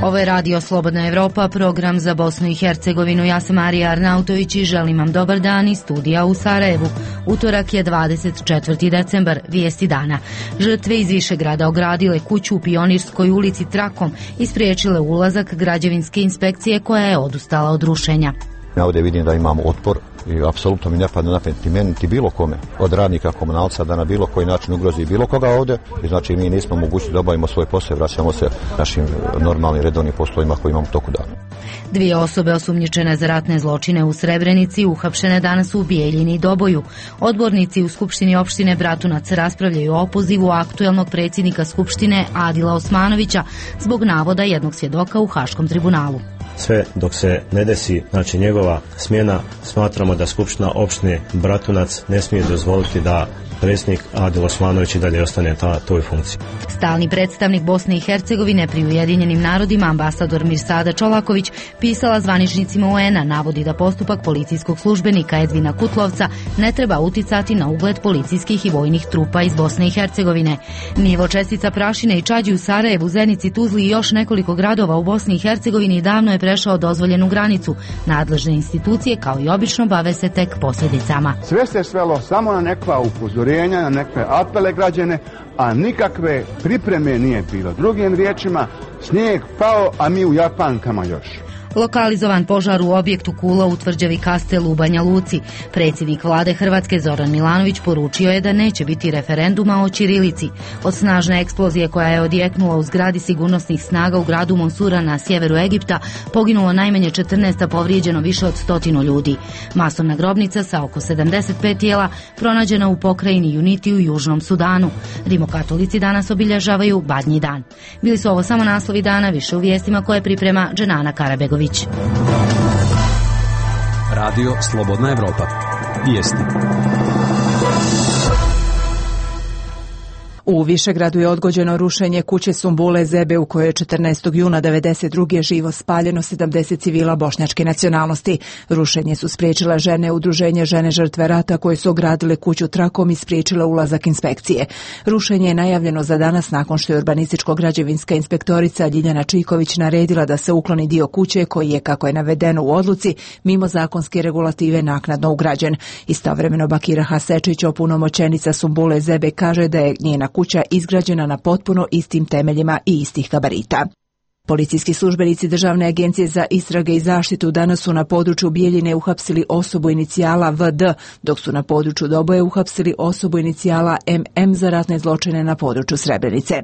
Ovo je Radio Slobodna Evropa, program za Bosnu i Hercegovinu. Ja sam Marija Arnautović i želim vam dobar dan iz studija u Sarajevu. Utorak je 24. decembar, vijesti dana. Žrtve iz Višegrada ogradile kuću u Pionirskoj ulici trakom i spriječile ulazak građevinske inspekcije koja je odustala od rušenja. Ja ovdje vidim da imamo otpor i apsolutno mi ne pada na pamet ni meni, niti bilo kome, od radnika komunalca da na bilo koji način ugrozi bilo koga ovdje. I znači mi nismo mogući da obavimo svoj posao, vraćamo se našim normalnim redovnim poslovima koji imamo toku dana. 2 osobe osumnjičene za ratne zločine u Srebrenici uhapšene danas u Bijeljini i Doboju. Odbornici u Skupštini opštine Bratunac raspravljaju o opozivu aktuelnog predsjednika Skupštine Adila Osmanovića zbog navoda jednog svjedoka u Haškom tribunalu. Sve dok se ne desi, znači njegova smjena, smatramo da Skupština opštine Bratunac ne smije dozvoliti da predsjednik Adil Osmanović i dalje ostane toj funkciji. Stalni predstavnik Bosne i Hercegovine pri Ujedinjenim narodima, ambasador Mirsada Čolaković, pisala zvaničnicima UN-a, navodi da postupak policijskog službenika Edvina Kutlovca ne treba uticati na ugled policijskih i vojnih trupa iz Bosne i Hercegovine. Nivo čestica prašine i čađi u Sarajevu, Zenici, Tuzli i još nekoliko gradova u Bosni i Hercegovini davno je prešao dozvoljenu granicu. Nadležne institucije, kao i obično, bave se tek posljedicama. Sve se svelo samo na nekva upozorenja, na nekve apele građane, a nikakve pripreme nije bilo. Drugim riječima, snijeg pao, a mi u Japankama još. Lokalizovan požar u objektu Kula u tvrđavi Kastel u Banja Luci. Predsjednik vlade Hrvatske Zoran Milanović poručio je da neće biti referenduma o ćirilici. Od snažne eksplozije koja je odjeknula u zgradi sigurnosnih snaga u gradu Monsura na sjeveru Egipta poginulo najmanje 14, a povrijeđeno više od 100 ljudi. Masovna grobnica sa oko 75 tijela pronađena u pokrajini Uniti u Južnom Sudanu. Rimokatolici danas obilježavaju Badnji dan. Bili su ovo samo naslovi dana, više u vijestima koje priprema Dženana Karabegović. Radio Slobodna Evropa. Vijesti. U Višegradu je odgođeno rušenje kuće Sumbule Zebe u kojoj je 14. juna 1992. živo spaljeno 70 civila bošnjačke nacionalnosti. Rušenje su spriječile žene udruženje Žene žrtve rata koje su ogradile kuću trakom i spriječile ulazak inspekcije. Rušenje je najavljeno za danas nakon što je urbanističko-građevinska inspektorica Ljiljana Čiković naredila da se ukloni dio kuće koji je, kako je navedeno u odluci, mimo zakonske regulative naknadno ugrađen. Istovremeno Bakira Hasečić, opunomoćenica Sumbule Zebe, kaže da je njena kuća izgrađena na potpuno istim temeljima i istih gabarita. Policijski službenici Državne agencije za istrage i zaštitu danas su na području Bijeljine uhapsili osobu inicijala VD, dok su na području Doboje uhapsili osobu inicijala MM za ratne zločine na području Srebrenice.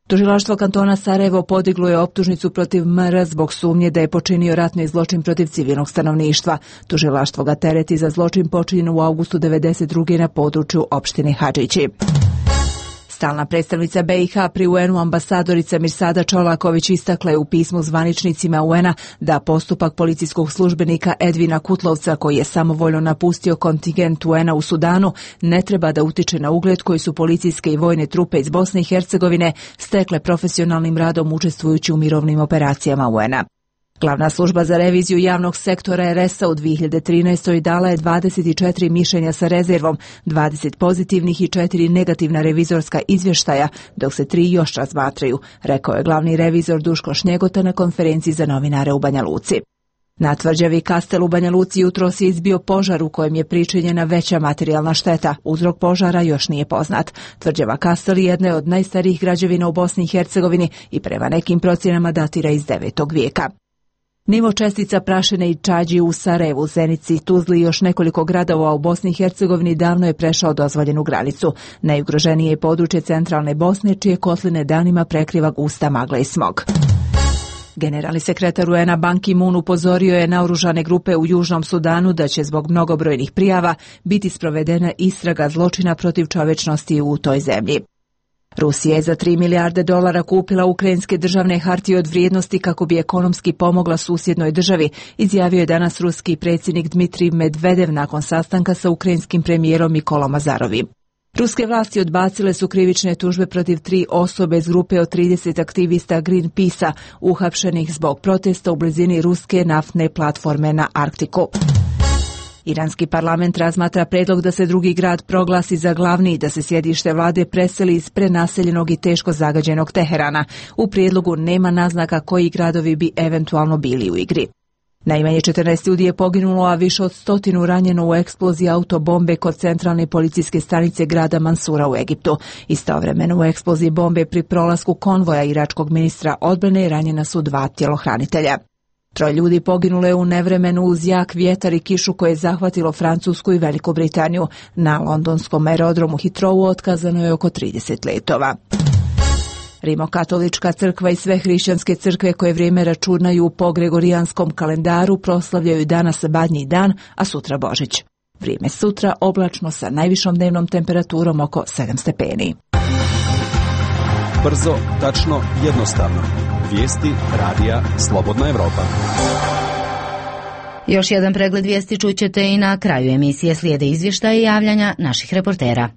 Tužilaštvo kantona Sarajevo podiglo je optužnicu protiv MR zbog sumnje da je počinio ratni zločin protiv civilnog stanovništva. Tužilaštvo ga tereti za zločin počinjen u avgustu 1992. na području opštine Hadžići. Stalna predstavnica BiH pri UN-u ambasadorica Mirsada Čolaković istakla je u pismu zvaničnicima UN-a da postupak policijskog službenika Edvina Kutlovca, koji je samovoljno napustio kontingent UN-a u Sudanu, ne treba da utiče na ugled koji su policijske i vojne trupe iz Bosne i Hercegovine stekle profesionalnim radom učestvujući u mirovnim operacijama UN-a. Glavna služba za reviziju javnog sektora RS-a u 2013. dala je 24 mišljenja sa rezervom, 20 pozitivnih i 4 negativna revizorska izvještaja, dok se 3 još razmatraju, rekao je glavni revizor Duško Šnjegota na konferenciji za novinare u Banja Luci. Na tvrđavi Kastel u Banja Luci jutros je izbio požar u kojem je pričinjena veća materijalna šteta. Uzrok požara još nije poznat. Tvrđava Kastel je jedna od najstarijih građevina u Bosni i Hercegovini i prema nekim procjenama datira iz 9. vijeka. Nivo čestica prašine i čađi u Sarajevu, Zenici, Tuzli i još nekoliko gradova u Bosni i Hercegovini davno je prešao dozvoljenu granicu. Najugroženije je područje centralne Bosne, čije kotline danima prekriva gusta magla i smog. Generalni sekretar UN-a Ban Ki-moon upozorio je naoružane grupe u Južnom Sudanu da će zbog mnogobrojnih prijava biti sprovedena istraga zločina protiv čovječnosti u toj zemlji. Rusija je za $3 milijarde kupila ukrajinske državne hartije od vrijednosti kako bi ekonomski pomogla susjednoj državi, izjavio je danas ruski predsjednik Dmitrij Medvedev nakon sastanka sa ukrajinskim premijerom Nikolom Azarovim. Ruske vlasti odbacile su krivične tužbe protiv 3 osobe iz grupe od 30 aktivista Greenpeace-a uhapšenih zbog protesta u blizini ruske naftne platforme na Arktiku. Iranski parlament razmatra predlog da se drugi grad proglasi za glavni i da se sjedište vlade preseli iz prenaseljenog i teško zagađenog Teherana. U prijedlogu nema naznaka koji gradovi bi eventualno bili u igri. Najmanje 14 ljudi je poginulo, a više od 100 ranjeno u eksploziji autobombe kod centralne policijske stanice grada Mansura u Egiptu. Istovremeno u eksploziji bombe pri prolasku konvoja iračkog ministra odbrane ranjena su 2 tjelohranitelja. 3 ljudi poginulo je u nevremenu uz jak vjetar i kišu koje je zahvatilo Francusku i Veliku Britaniju. Na londonskom aerodromu Heathrowu otkazano je oko 30 letova. Rimokatolička crkva i sve hrišćanske crkve koje vrijeme računaju po gregorijanskom kalendaru proslavljaju danas Badnji dan, a sutra Božić. Vrijeme sutra oblačno sa najvišom dnevnom temperaturom oko 7 stepeni. Brzo, tačno, jednostavno. Vijesti radija Slobodna Evropa. Još jedan pregled vijesti čućete i na kraju emisije. Slijede izvještaje i javljanja naših reportera.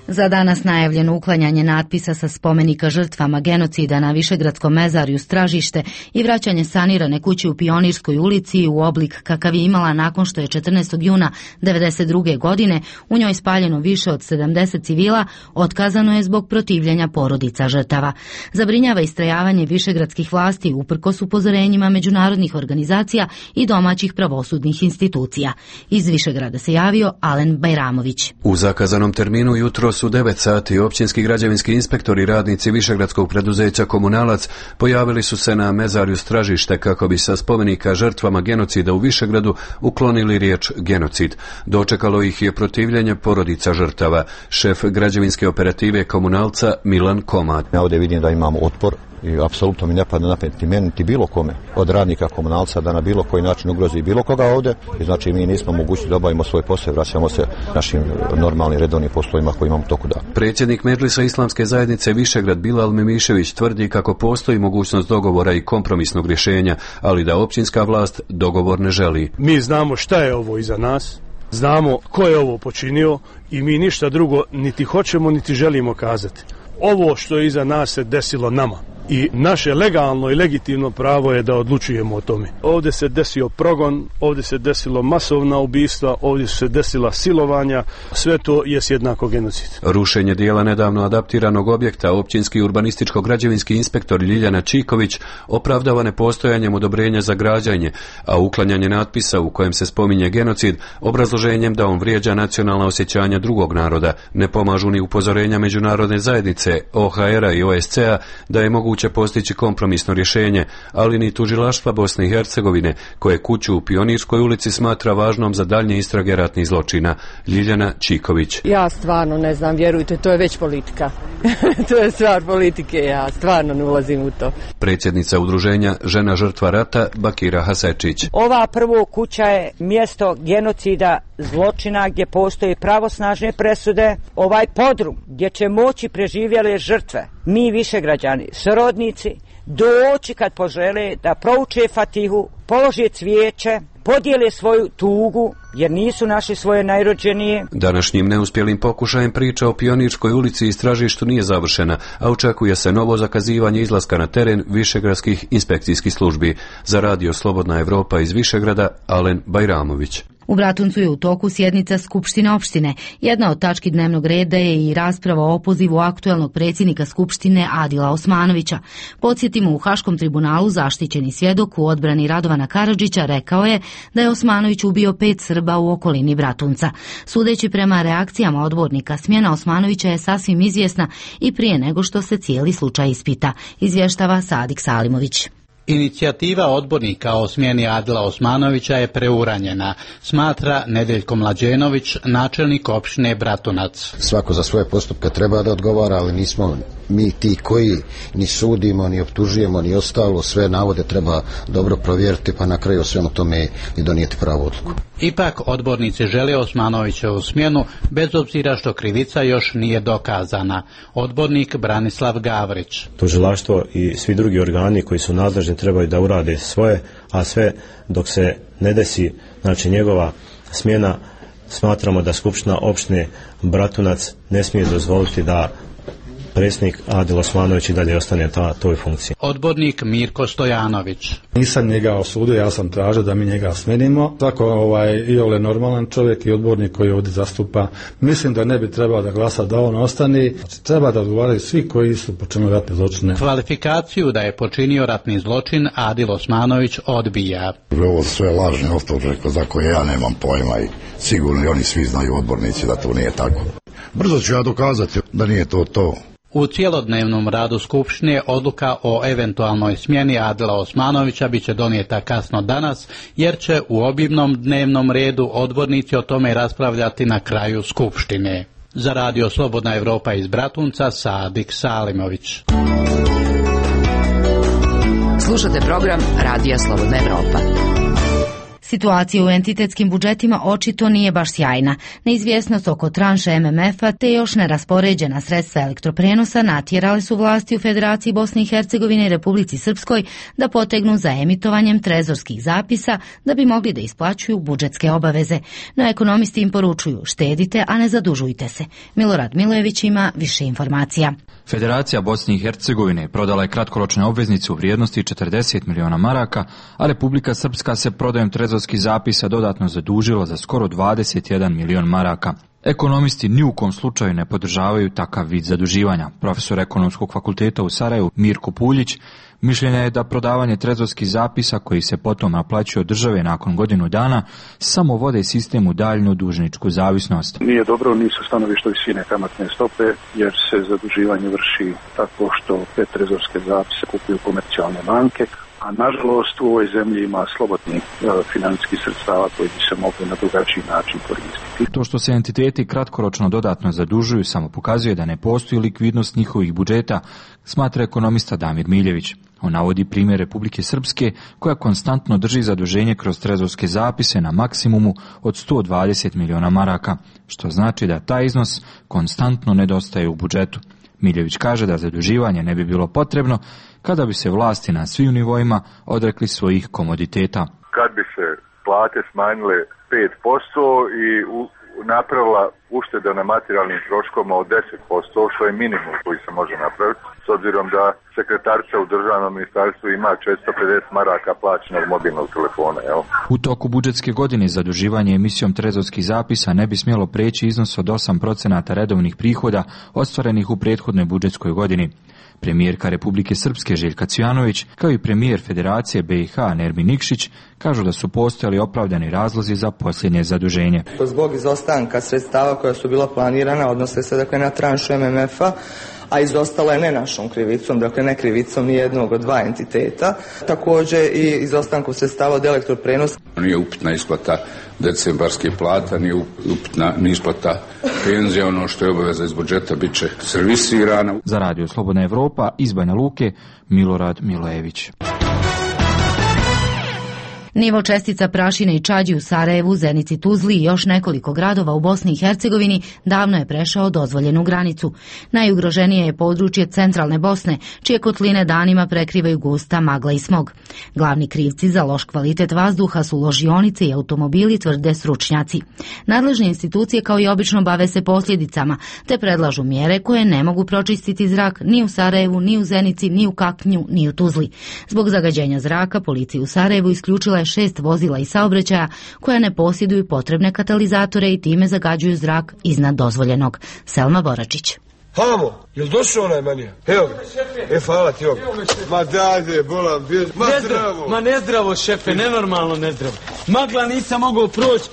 Za danas najavljeno uklanjanje natpisa sa spomenika žrtvama genocida na Višegradskom mezarju Stražište i vraćanje sanirane kuće u Pionirskoj ulici u oblik kakav je imala nakon što je 14. juna 1992. godine u njoj spaljeno više od 70 civila, otkazano je zbog protivljenja porodica žrtava. Zabrinjava istrajavanje višegradskih vlasti uprkos upozorenjima međunarodnih organizacija i domaćih pravosudnih institucija. Iz Višegrada se javio Alen Bajramović. U zakazanom terminu jutro u 9 sati općinski građevinski inspektori i radnici višegradskog preduzeća Komunalac pojavili su se na mezarju Stražište kako bi sa spomenika žrtvama genocida u Višegradu uklonili riječ genocid. Dočekalo ih je protivljenje porodica žrtava. Šef građevinske operative Komunalca Milan Komad. Ja ovdje vidim da imamo otpor i apsolutno mi ne padne na pamet ni meni niti bilo kome od radnika Komunalca da na bilo koji način ugrozi bilo koga ovdje. I znači mi nismo mogući da obavimo svoj posao, vraćamo se našim normalnim redovnim poslovima koji imamo toku dana. Predsjednik Medžlisa Islamske zajednice Višegrad Bilal Memišević tvrdi kako postoji mogućnost dogovora i kompromisnog rješenja, ali da općinska vlast dogovor ne želi. Mi znamo šta je ovo iza nas, znamo ko je ovo počinio i mi ništa drugo niti hoćemo niti želimo kazati. Ovo što je iza nas se desilo nama. I naše legalno i legitimno pravo je da odlučujemo o tome. Ovdje se desio progon, ovdje se desilo masovna ubistva, ovdje su se desila silovanja, sve to je jednako genocid. Rušenje dijela nedavno adaptiranog objekta općinski urbanističko-građevinski inspektor Ljiljana Čiković opravdava nepostojanjem odobrenja za građenje, a uklanjanje natpisa u kojem se spominje genocid obrazloženjem da on vrijeđa nacionalna osjećanja drugog naroda, ne pomažu ni upozorenja međunarodne zajednice, OHR-a i OSCE-a da je moguće postići kompromisno rješenje, ali ni tužilaštva Bosne i Hercegovine, koje kuću u Pionirskoj ulici smatra važnom za daljnje istrage ratnih zločina. Ljiljana Čiković. Ja stvarno ne znam, vjerujte, to je već politika. To je stvar politike, ja stvarno ne ulazim u to. Predsjednica udruženja Žena žrtva rata Bakira Hasečić. Ova prvo kuća je mjesto genocida, zločina gdje postoje pravosnažne presude. Ovaj podrum gdje će moći preživjele žrtve, mi Višegrađani, srodnici, doći kad požele da prouče Fatihu, polože cvijeće, podijele svoju tugu, jer nisu našli svoje najrođenije. Današnjim neuspjelim pokušajem priča o Pionirskoj ulici i Stražištu nije završena, a očekuje se novo zakazivanje izlaska na teren višegradskih inspekcijskih službi. Za radio Slobodna Evropa iz Višegrada, Alen Bajramović. U Bratuncu je u toku sjednica Skupštine opštine. Jedna od tački dnevnog reda je i rasprava o opozivu aktuelnog predsjednika Skupštine Adila Osmanovića. Podsjetimo, u Haškom tribunalu zaštićeni svjedok u odbrani Radovana Karadžića rekao je da je Osmanović ubio 5 Srba u okolini Bratunca. Sudeći prema reakcijama odbornika, smjena Osmanovića je sasvim izvjesna i prije nego što se cijeli slučaj ispita, izvještava Sadik Salimović. Inicijativa odbornika o smjeni Adila Osmanovića je preuranjena, smatra Nedeljko Mlađenović, načelnik opštine Bratunac. Svako za svoje postupke treba da odgovara, ali nismo mi ti koji ni sudimo, ni optužujemo, ni ostalo. Sve navode treba dobro provjeriti, pa na kraju svemu tome i donijeti pravu odluku. Ipak odbornici žele Osmanovićevu smjenu, bez obzira što krivica još nije dokazana. Odbornik Branislav Gavrić. Tužilaštvo i svi drugi organi koji su nadležni trebaju da urade svoje, a sve dok se ne desi, znači njegova smjena, smatramo da Skupština opštine Bratunac ne smije dozvoliti da predsjednik Adil Osmanović i dalje ostane toj funkciji. Odbornik Mirko Stojanović. Nisam njega osudio, ja sam tražio da mi njega smenimo. Tako i ole normalan čovjek i odbornik koji ovdje zastupa. Mislim da ne bi trebao da glasa da on ostane. Znači, treba da odgovaraju svi koji su počinili ratne zločine. Kvalifikaciju da je počinio ratni zločin Adil Osmanović odbija. Ovo sve lažne optužbe za koje ja nemam pojma i sigurno i oni svi znaju odbornici da to nije tako. Brzo ću ja dokazati da nije to. U cijelodnevnom radu Skupštine odluka o eventualnoj smjeni Adila Osmanovića biće donijeta kasno danas, jer će u obimnom dnevnom redu odbornici o tome raspravljati na kraju Skupštine. Za Radio Slobodna Evropa iz Bratunca, Sadik Salimović. Slušate program Radija Slobodna Evropa. Situacija u entitetskim budžetima očito nije baš sjajna. Neizvjesnost oko tranše MMF-a te još neraspoređena sredstva elektroprenosa natjerale su vlasti u Federaciji Bosne i Hercegovine i Republici Srpskoj da potegnu za emitovanjem trezorskih zapisa da bi mogli da isplaćuju budžetske obaveze. No ekonomisti im poručuju štedite, a ne zadužujte se. Milorad Milojević ima više informacija. Federacija Bosne i Hercegovine prodala je kratkoročne obveznice u vrijednosti 40 miliona maraka, a Republika Srpska se prodajom trezorskih zapisa dodatno zadužila za skoro 21 milion maraka. Ekonomisti ni u kom slučaju ne podržavaju takav vid zaduživanja. Profesor Ekonomskog fakulteta u Sarajevu Mirko Puljić mišljenja je da prodavanje trezorskih zapisa koji se potom naplaćuju od države nakon godinu dana samo vode sistem u daljnju dužničku zavisnost. Nije dobro ni sa stanovišta visine kamatne stope, jer se zaduživanje vrši tako što te trezorske zapise kupuju komercijalne banke, a nažalost u ovoj zemlji ima slobodnih financijskih sredstava koji bi se mogli na drugačiji način koristiti. To što se entiteti kratkoročno dodatno zadužuju samo pokazuje da ne postoji likvidnost njihovih budžeta, smatra ekonomista Damir Miljević. On navodi primjer Republike Srpske koja konstantno drži zaduženje kroz trezorske zapise na maksimumu od 120 miliona maraka, što znači da taj iznos konstantno nedostaje u budžetu. Miljević kaže da zaduživanje ne bi bilo potrebno kada bi se vlasti na svim nivoima odrekli svojih komoditeta. Kad bi se plate smanjile 5% i napravila ušteda na materijalnim troškovima od 10%, što je minimum koji se može napraviti, s obzirom da sekretarica u državnom ministarstvu ima 450 maraka plaćenog mobilnog telefona. Evo. U toku budžetske godine zaduživanje emisijom trezorskih zapisa ne bi smjelo preći iznos od 8% redovnih prihoda ostvarenih u prethodnoj budžetskoj godini. Premijerka Republike Srpske Željka Cvijanović, kao i premijer Federacije BiH Nermin Nikšić, kažu da su postojali opravdani razlozi za posljednje zaduženje. Zbog izostanka sredstava koja su bila planirana, odnose se na tranšu MMF-a, a izostala je ne našom krivicom, dakle ne krivicom ni jednog od dva entiteta. Također i izostanku sredstava od elektroprenosa. Nije upitna isplata decembarske plata, nije upitna ni isplata penzija, ono što je obaveza iz budžeta bit će servisirana. Za Radio Slobodna Evropa iz Banja Luke, Milorad Milojević. Nivo čestica prašine i čađi u Sarajevu, Zenici, Tuzli i još nekoliko gradova u Bosni i Hercegovini davno je prešao dozvoljenu granicu. Najugroženije je područje centralne Bosne, čije kotline danima prekrivaju gusta magla i smog. Glavni krivci za loš kvalitet vazduha su ložionice i automobili, tvrde stručnjaci. Nadležne institucije kao i obično bave se posljedicama, te predlažu mjere koje ne mogu pročistiti zrak ni u Sarajevu, ni u Zenici, ni u Kaknju, ni u Tuzli. Zbog zagađenja zraka, policija u Sarajevu isključila je 6 vozila i saobraćaja koja ne posjeduju potrebne katalizatore i time zagađuju zrak iznad dozvoljenog. Selma Boračić. Hamo, jel došao onaj manija? Evo ga. Hvala ti ovdje. Ma dajde, bolam, ma zdravo. Ma nezdravo, šefe, nenormalno nezdravo. Magla nisam mogao proći.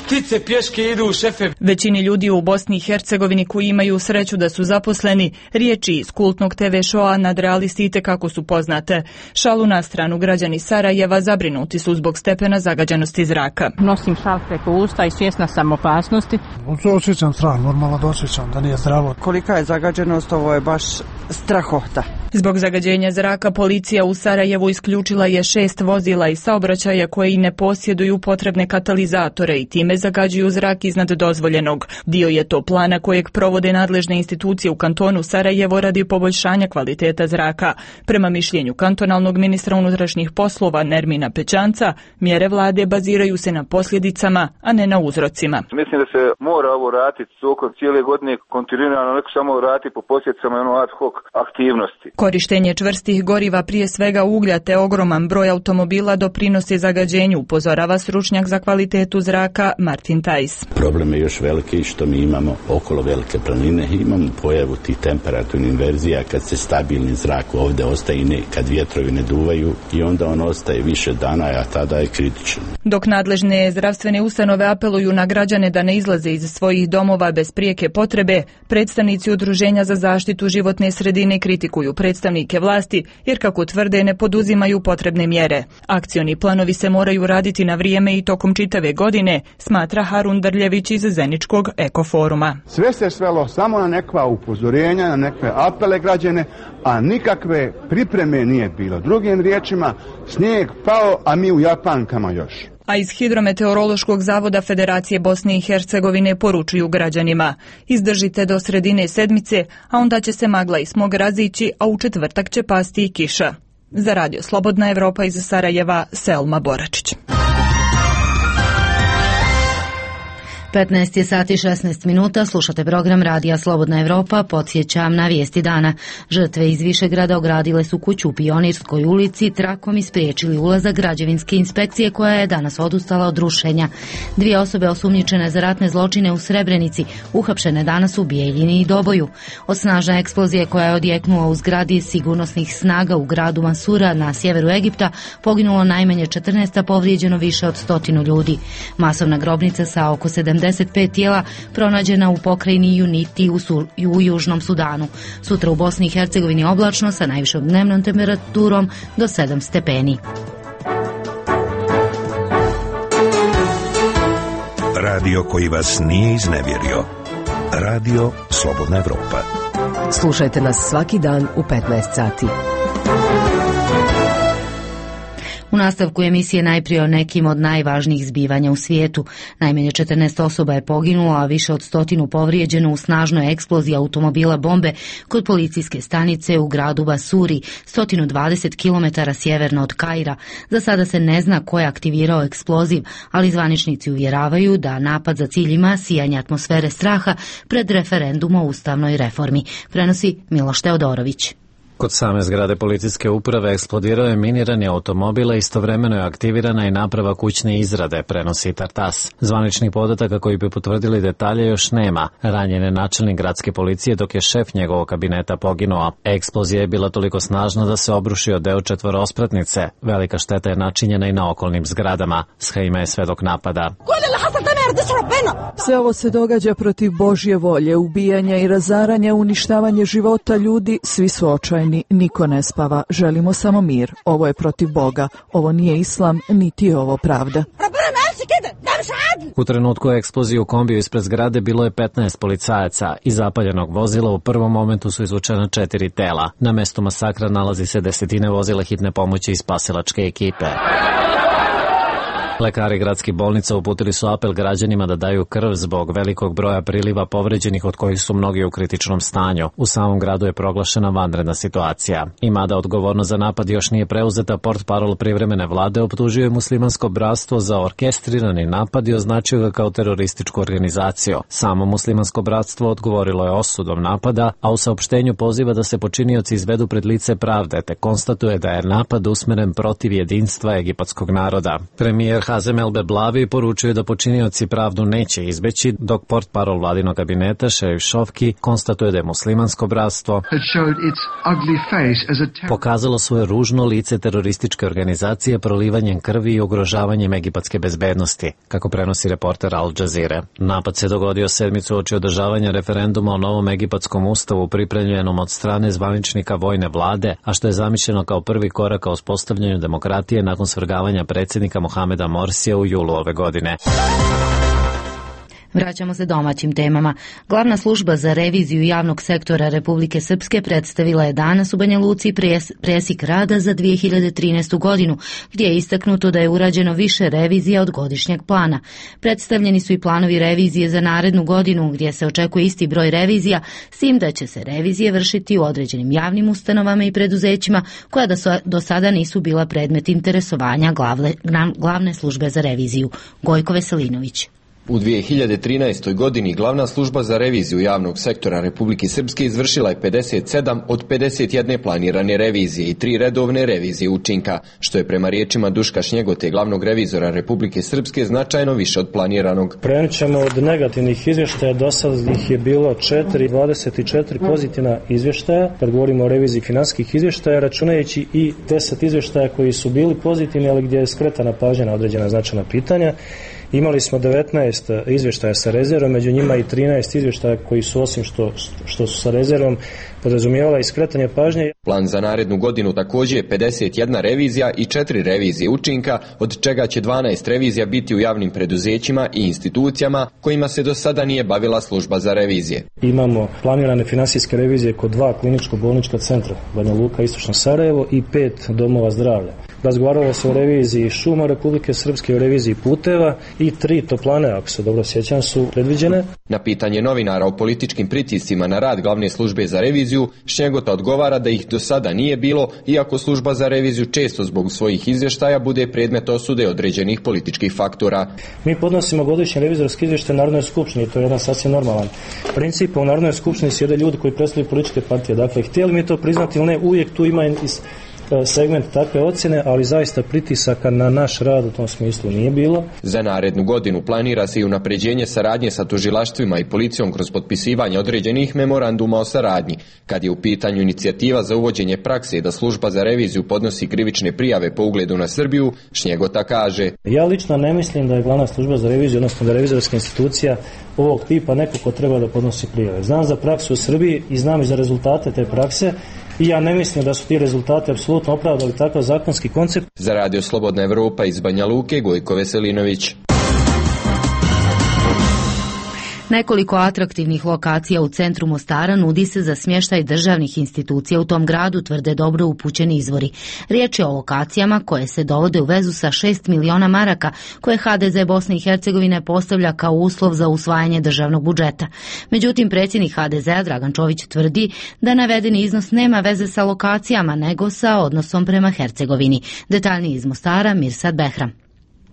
Ptice pješke idu, šefe. Većini ljudi u Bosni i Hercegovini koji imaju sreću da su zaposleni, riječi iz kultnog TV showa nadrealisti itekako su poznate. Šalu na stranu, građani Sarajeva zabrinuti su zbog stepena zagađenosti zraka. Nosim šal preko usta i svjesna sam opasnosti. Osjećam strah, normalno da osjećam da nije zdravo. Kolika je zagađenost, ovo je baš strahota. Zbog zagađenja zraka policija u Sarajevu isključila je 6 vozila iz saobraćaja koji ne posjeduju potrebne katalizatore i time zagađuju zrak iznad dozvoljenog. Dio je to plana kojeg provode nadležne institucije u kantonu Sarajevo radi poboljšanja kvaliteta zraka. Prema mišljenju kantonalnog ministra unutrašnjih poslova Nermina Pećanca, mjere vlade baziraju se na posljedicama, a ne na uzrocima. Mislim da se mora ovo raditi tokom cijele godine kontinuirano, neko samo raditi po posljedicama ad hoc aktivnosti. Korištenje čvrstih goriva, prije svega uglja te ogroman broj automobila doprinosi zagađenju, upozorava stručnjak za kvalitetu zraka Martin Tajs. Problem je još veliki što mi imamo okolo Velike planine, imamo pojavu tih temperaturnih inverzija kad se stabilni zrak ovdje ostaje i kad vjetrovi ne duvaju i onda on ostaje više dana, a tada je kritičan. Dok nadležne zdravstvene ustanove apeluju na građane da ne izlaze iz svojih domova bez prijeke potrebe, predstavnici Udruženja za zaštitu životne sredine kritikuju predstavnike vlasti jer, kako tvrde, ne poduzimaju potrebne mjere. Akcioni planovi se moraju raditi na vrijeme i tokom čitave godine, smatra Harun Drljević iz Zeničkog ekoforuma. Sve se svelo samo na nekva upozorenja, na nekve apele građane, a nikakve pripreme nije bilo. Drugim riječima, snijeg pao, a mi u Japankama još. A iz Hidrometeorološkog zavoda Federacije Bosne i Hercegovine poručuju građanima: izdržite do sredine sedmice, a onda će se magla i smog razići, a u četvrtak će pasti i kiša. Za Radio Slobodna Evropa iz Sarajeva, Selma Boračić. 15 sati 16 minuta, slušate program Radija Slobodna Evropa. Podsjećam na vijesti dana. Žrtve iz Višegrada ogradile su kuću u Pionirskoj ulici, trakom ispriječili ulazak građevinske inspekcije koja je danas odustala od rušenja. 2 osobe osumnjičene za ratne zločine u Srebrenici uhapšene danas u Bijeljini i Doboju. Od snažne eksplozije koja je odjeknula u zgradi sigurnosnih snaga u gradu Mansura na sjeveru Egipta poginulo najmanje 14, a povrijeđeno više od 100 ljudi. Masovna grobnica sa oko 75 tijela pronađena u pokrajini Unity u Južnom Sudanu. Sutra u Bosni i Hercegovini oblačno sa najvišom dnevnom temperaturom do 7 stepeni. Radio koji vas nije iznevjerio. Radio Slobodna Evropa. Slušajte nas svaki dan u 15 sati. U nastavku emisije najprije o nekim od najvažnijih zbivanja u svijetu. Najmanje 14 osoba je poginulo, a više od 100 povrijeđeno u snažnoj eksploziji automobila bombe kod policijske stanice u gradu Basuri, 120 km sjeverno od Kaira. Za sada se ne zna ko je aktivirao eksploziv, ali zvaničnici uvjeravaju da napad za cilj ima sijanje atmosfere straha pred referendum o ustavnoj reformi. Prenosi Miloš Teodorović. Kod same zgrade policijske uprave eksplodirao je minirani automobil, a istovremeno je aktivirana i naprava kućne izrade, prenosi Tartas. Zvaničnih podataka koji bi potvrdili detalje još nema. Ranjen je načelnik gradske policije, dok je šef njegovog kabineta poginuo. Eksplozija je bila toliko snažna da se obrušio deo četvorospratnice. Velika šteta je načinjena i na okolnim zgradama. Shejma je svedok napada. Sve ovo se događa protiv Božje volje, ubijanja i razaranja, uništavanje života ljudi, svi su očajni, niko ne spava, želimo samo mir. Ovo je protiv Boga, ovo nije islam, niti je ovo pravda. U trenutku eksplozije u kombiju ispred zgrade bilo je 15 policajaca. Iz zapaljenog vozila u prvom momentu su izvučena 4 tela. Na mestu masakra nalazi se desetine vozila hitne pomoći i spasilačke ekipe. Lekari gradskih bolnica uputili su apel građanima da daju krv zbog velikog broja priliva povređenih, od kojih su mnogi u kritičnom stanju. U samom gradu je proglašena vanredna situacija. I mada odgovornost za napad još nije preuzeta, portparol privremene vlade optužio je Muslimansko bratstvo za orkestrirani napad i označio ga kao terorističku organizaciju. Samo Muslimansko bratstvo odgovorilo je osudom napada, a u saopštenju poziva da se počinioci izvedu pred lice pravde, te konstatuje da je napad usmeren protiv jedinstva egipatskog naroda. Premijer Hazem El Beblavi poručuje da počinioci pravdu neće izbeći, dok portparol vladinog kabineta Šerif Šofki konstatuje da je Muslimansko bratstvo pokazalo svoje ružno lice terorističke organizacije prolivanjem krvi i ugrožavanjem egipatske bezbednosti, kako prenosi reporter Al Jazeera. Napad se dogodio sedmicu uoči održavanja referenduma o novom egipatskom ustavu pripremljenom od strane zvaničnika vojne vlade, a što je zamišljeno kao prvi korak ka uspostavljanju demokratije nakon svrgavanja predsjednika Mohameda Morsija u julu ove godine. Vraćamo se domaćim temama. Glavna služba za reviziju javnog sektora Republike Srpske predstavila je danas u Banja Luci presjek rada za 2013. godinu, gdje je istaknuto da je urađeno više revizija od godišnjeg plana. Predstavljeni su i planovi revizije za narednu godinu, gdje se očekuje isti broj revizija, s tim da će se revizije vršiti u određenim javnim ustanovama i preduzećima koja do sada nisu bila predmet interesovanja glavne službe za reviziju. Gojko Veselinović. U 2013. godini glavna služba za reviziju javnog sektora Republike Srpske izvršila je 57 od 51 planirane revizije i 3 redovne revizije učinka, što je prema riječima Duška Šnjegote, glavnog revizora Republike Srpske, značajno više od planiranog. Krenut ćemo od negativnih izvještaja, do sada ih je bilo 24 pozitivna izvještaja, kad govorimo o reviziji finansijskih izvještaja, računajući i 10 izvještaja koji su bili pozitivni, ali gdje je skretana pažnja na određena značajna pitanja. Imali smo 19 izvještaja sa rezervom, među njima i 13 izvještaja koji su, osim što su sa rezervom, podrazumijevala i skretanje pažnje. Plan za narednu godinu također je 51 revizija i 4 revizije učinka, od čega će 12 revizija biti u javnim preduzećima i institucijama kojima se do sada nije bavila služba za revizije. Imamo planirane finansijske revizije kod 2 kliničko-bolnička centra, Banja Luka, Istočno Sarajevo, i 5 domova zdravlja. Razgovaralo se o reviziji šuma Republike Srpske, o reviziji puteva i 3 toplane, ako se dobro sjećam, su predviđene. Na pitanje novinara o političkim pritiscima na rad glavne službe za reviziju, Šnjegota odgovara da ih do sada nije bilo, iako služba za reviziju često zbog svojih izvještaja bude predmet osude određenih političkih faktora. Mi podnosimo godišnje revizorske izvještaje Narodnoj skupštini, to je jedan sasvim normalan princip. U Narodnoj skupštini sjede ljudi koji predstavljaju političke partije. Dakle, htjeli mi to priznati ili ne, uvijek tu ima segment takve ocjene, ali zaista pritisaka na naš rad u tom smislu nije bilo. Za narednu godinu planira se i unapređenje saradnje sa tužilaštvima i policijom kroz potpisivanje određenih memoranduma o saradnji. Kad je u pitanju inicijativa za uvođenje prakse da služba za reviziju podnosi krivične prijave po ugledu na Srbiju, Šnjegota kaže: Ja lično ne mislim da je glavna služba za reviziju, odnosno da je revizorska institucija ovog tipa neko ko treba da podnosi prijave. Znam za praksu u Srbiji i znam i za rezultate te prakse. I ja ne mislim da su ti rezultati apsolutno opravdali takav zakonski koncept. Za Radio Slobodna Evropa iz Banja Luke, Gojko Veselinović. Nekoliko atraktivnih lokacija u centru Mostara nudi se za smještaj državnih institucija u tom gradu, tvrde dobro upućeni izvori. Riječ je o lokacijama koje se dovode u vezu sa 6 miliona maraka koje HDZ Bosne i Hercegovine postavlja kao uslov za usvajanje državnog budžeta. Međutim, predsjednik HDZ-a Dragan Čović tvrdi da navedeni iznos nema veze sa lokacijama, nego sa odnosom prema Hercegovini. Detaljniji iz Mostara, Mirsad Behram.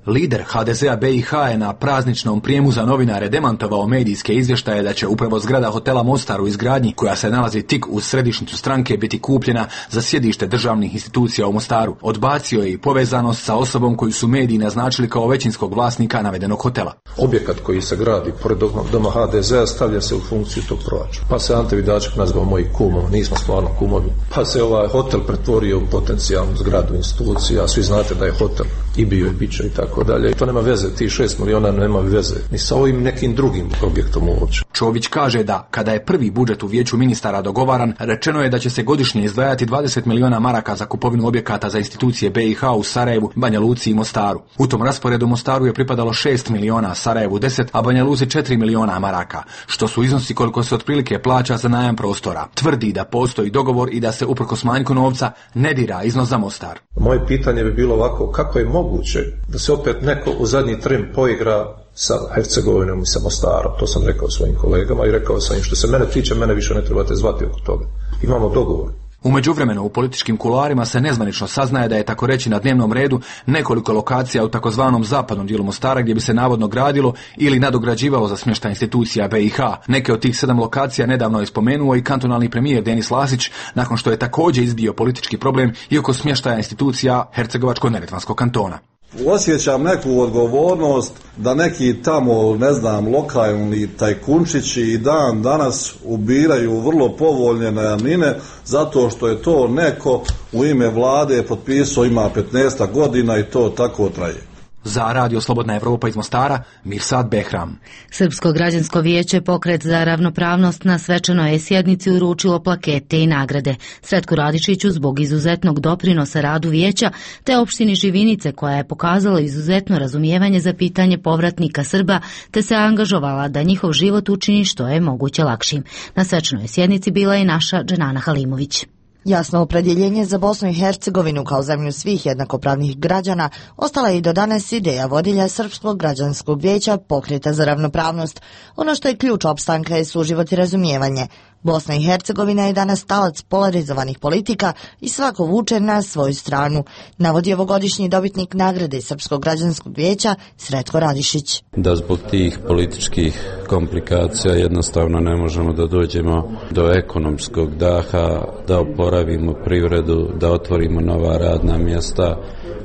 Lider HDZ-a BiH je na prazničnom prijemu za novinare demantovao medijske izvještaje da će upravo zgrada hotela Mostar u izgradnji, koja se nalazi tik uz središnjicu stranke, biti kupljena za sjedište državnih institucija u Mostaru. Odbacio je i povezanost sa osobom koju su mediji naznačili kao većinskog vlasnika navedenog hotela. Objekat koji se gradi pored doma HDZ-a stavlja se u funkciju tog proračuna. Pa se Ante Vidaček nazvao moji kumom, nismo stvarno kumovi. Pa se ovaj hotel pretvorio u potencijalnu zgradu institucija, svi znate da je hotel i bio i bit će i tako dalje. To nema veze, ti 6 miliona nema veze ni sa ovim nekim drugim objektom uopće. Čović kaže da kada je prvi budžet u vijeću ministara dogovaran, rečeno je da će se godišnje izdvajati 20 miliona maraka za kupovinu objekata za institucije BiH u Sarajevu, Banja Luci i Mostaru. U tom rasporedu Mostaru je pripadalo 6 miliona, Sarajevu 10, a Banja Luci 4 miliona maraka, što su iznosi koliko se otprilike plaća za najam prostora. Tvrdi da postoji dogovor i da se uprkos manjku novca ne dira iznos za Mostar. Moje pitanje bi bilo ovako: kako je moguće da se opet neko u zadnji tren poigra sa Hercegovinom i sa Mostarom? To sam rekao svojim kolegama i rekao sam im: što se mene tiče, mene više ne trebate zvati oko toga. Imamo dogovor. U međuvremenu u političkim kuloarima se nezvanično saznaje da je tako reći na dnevnom redu nekoliko lokacija u takozvanom zapadnom dijelu Mostara gdje bi se navodno gradilo ili nadograđivalo za smještaj institucija BiH. Neke od tih 7 lokacija nedavno je spomenuo i kantonalni premijer Denis Lasić, nakon što je također izbio politički problem i oko smještaja institucija Hercegovačko-neretvanskog kantona. Osjećam neku odgovornost da neki tamo, ne znam, lokalni tajkunčići i dan danas ubiraju vrlo povoljne najamnine zato što je to neko u ime vlade potpisao, ima 15 godina i to tako traje. Za Radio Slobodna Evropa iz Mostara, Mirsad Behram. Srpsko građansko vijeće Pokret za ravnopravnost na svečanoj sjednici uručilo plakete i nagrade Sretku Radišiću zbog izuzetnog doprinosa radu vijeća te opštini Živinice koja je pokazala izuzetno razumijevanje za pitanje povratnika Srba te se angažovala da njihov život učini što je moguće lakšim. Na svečanoj sjednici bila je naša Dženana Halimović. Jasno opredjeljenje za Bosnu i Hercegovinu kao zemlju svih jednakopravnih građana ostala je i do danas ideja vodilja Srpskog građanskog vijeća Pokreta za ravnopravnost. Ono što je ključ opstanka je suživot i razumijevanje. Bosna i Hercegovina je danas talac polarizovanih politika i svako vuče na svoju stranu, navodi ovogodišnji dobitnik nagrade Srpskog građanskog vijeća Sretko Radišić. Da zbog tih političkih komplikacija jednostavno ne možemo da dođemo do ekonomskog daha, da oporavimo privredu, da otvorimo nova radna mjesta,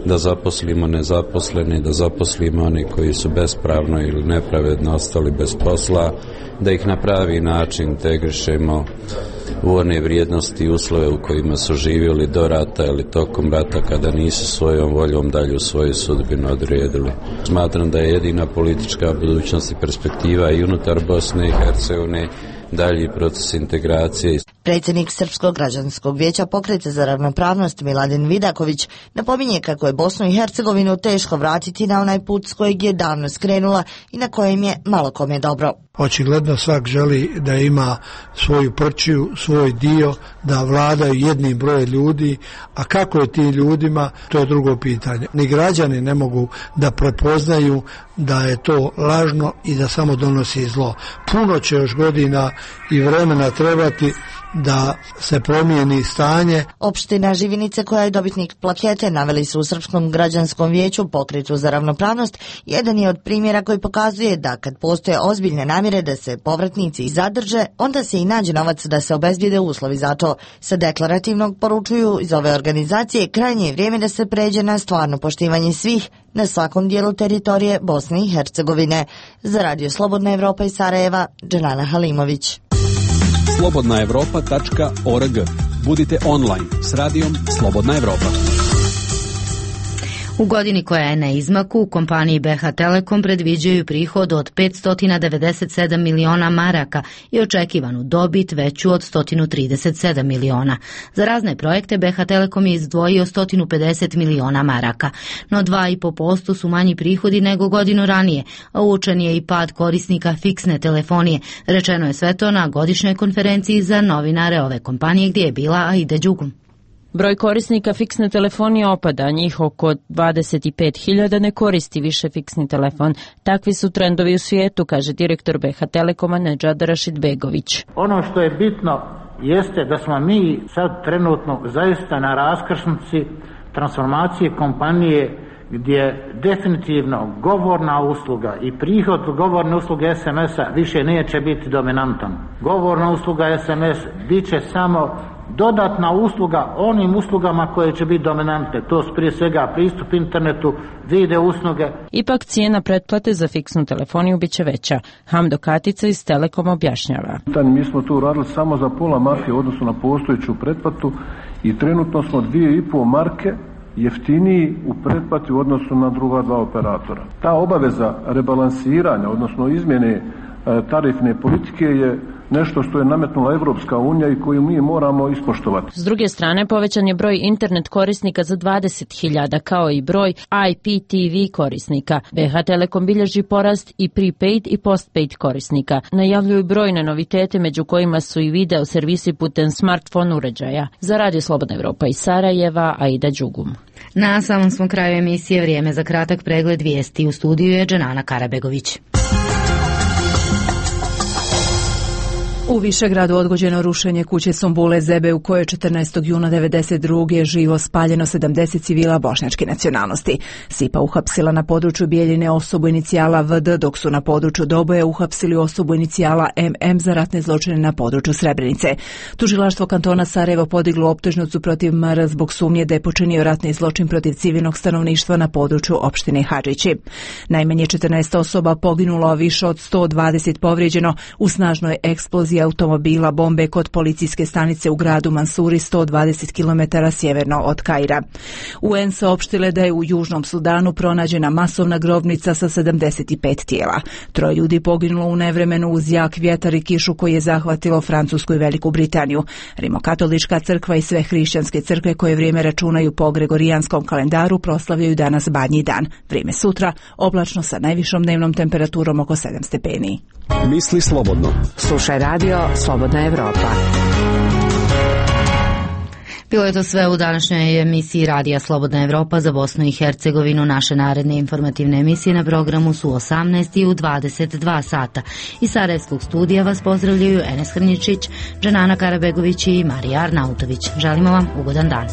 da zaposlimo nezaposlene, da zaposlimo oni koji su bespravno ili nepravedno ostali bez posla, da ih na pravi način integrišemo u one vrijednosti i uslove u kojima su živjeli do rata ili tokom rata kada nisu svojom voljom dalje u svoju sudbinu odredili. Smatram da je jedina politička budućnost i perspektiva i unutar Bosne i Hercegovine dalji proces integracije. Predsjednik Srpskog građanskog vijeća Pokreta za ravnopravnost Miladin Vidaković napominje kako je Bosnu i Hercegovinu teško vratiti na onaj put s kojeg je davno skrenula i na kojem je malo kome dobro. Očigledno svak želi da ima svoju prčiju, svoj dio, da vladaju jednim brojem ljudi, a kako je tim ljudima, to je drugo pitanje. Ni građani ne mogu da prepoznaju da je to lažno i da samo donosi zlo. Puno će još godina i vremena trebati da se promijeni stanje. Opština Živinice koja je dobitnik plakete naveli su u Srpskom građanskom vijeću Pokretu za ravnopravnost jedan je od primjera koji pokazuje da kad postoje ozbiljne namjere da se povratnici zadrže, onda se i nađe novac da se obezbijede uslovi za to. Sa deklarativnog poručuju iz ove organizacije krajnje je vrijeme da se pređe na stvarno poštivanje svih na svakom dijelu teritorije Bosne i Hercegovine. Za Radio Slobodna Evropa iz Sarajeva, Dženana Halimović. slobodnaevropa.org. Budite online s radijom Slobodna Evropa. U godini koja je na izmaku, u kompaniji BH Telekom predviđaju prihod od 597 miliona maraka i očekivanu dobit veću od 137 miliona. Za razne projekte BH Telekom je izdvojio 150 miliona maraka, no 2,5% su manji prihodi nego godinu ranije, a uočen je i pad korisnika fiksne telefonije. Rečeno je sve to na godišnjoj konferenciji za novinare ove kompanije gdje je bila Aida Đugum. Broj korisnika fiksne telefonije opada, njih oko 25.000 ne koristi više fiksni telefon. Takvi su trendovi u svijetu, kaže direktor BH Telekoma Nedžad Rašidbegović. Ono što je bitno jeste da smo mi sad trenutno zaista na raskrsnici transformacije kompanije gdje definitivno govorna usluga i prihod govorne usluge SMS-a više neće biti dominantan. Govorna usluga SMS bit će samo dodatna usluga onim uslugama koje će biti dominante. To su prije svega pristup internetu, video usluge. Ipak cijena pretplate za fiksnu telefoniju bit će veća. Hamdo Katica iz Telekoma objašnjava. Mi smo tu radili samo za pola marke u odnosu na postojeću pretplatu i trenutno smo 2,5 marke jeftiniji u pretplati u odnosu na druga dva operatora. Ta obaveza rebalansiranja, odnosno izmjene tarifne politike je nešto što je nametnula Evropska unija i koju mi moramo ispoštovati. S druge strane, povećan je broj internet korisnika za 20.000, kao i broj IPTV korisnika. BH Telekom bilježi porast i prepaid i postpaid korisnika. Najavljuju brojne novitete, među kojima su i video servisi putem smartphone uređaja. Za Radio Slobodna Evropa iz Sarajeva, Aida Đugum. Na samom smo kraju emisije vrijeme za kratak pregled vijesti. U studiju je Dženana Karabegović. U Višegradu odgođeno rušenje kuće Sumbule Zebe u kojoj je 14. juna 1992. živo spaljeno 70 civila bošnjačke nacionalnosti. SIPA uhapsila na području Bijeljine osobu inicijala VD, dok su na području Doboja uhapsili osobu inicijala MM za ratne zločine na području Srebrenice. Tužilaštvo kantona Sarajevo podiglo optužnicu protiv MR zbog sumnje da je počinio ratni zločin protiv civilnog stanovništva na području opštine Hadžići. Najmanje 14 osoba poginulo, a više od 120 povrijeđeno u snažnoj eksploziji automobila bombe kod policijske stanice u gradu Mansuri 120 km sjeverno od Kaira. UN saopštile da je u Južnom Sudanu pronađena masovna grobnica sa 75 tijela. 3 ljudi poginulo u nevremenu uz jak vjetar i kišu koji je zahvatilo Francusku i Veliku Britaniju. Rimokatolička crkva i sve hrišćanske crkve koje vrijeme računaju po gregorijanskom kalendaru proslavljaju danas Badnji dan. Vrijeme sutra oblačno sa najvišom dnevnom temperaturom oko 7 stepeni. Misli slobodno. Slušaj radio Slobodna Evropa. Bilo je to sve u današnjoj emisiji Radija Slobodna Evropa za Bosnu i Hercegovinu. Naše naredne informativne emisije na programu su 18 i u 22 sata. Iz Sarajevskog studija vas pozdravljaju Enes Hrničić, Džanana Karabegović i Marija Arnautović. Želimo vam ugodan dan.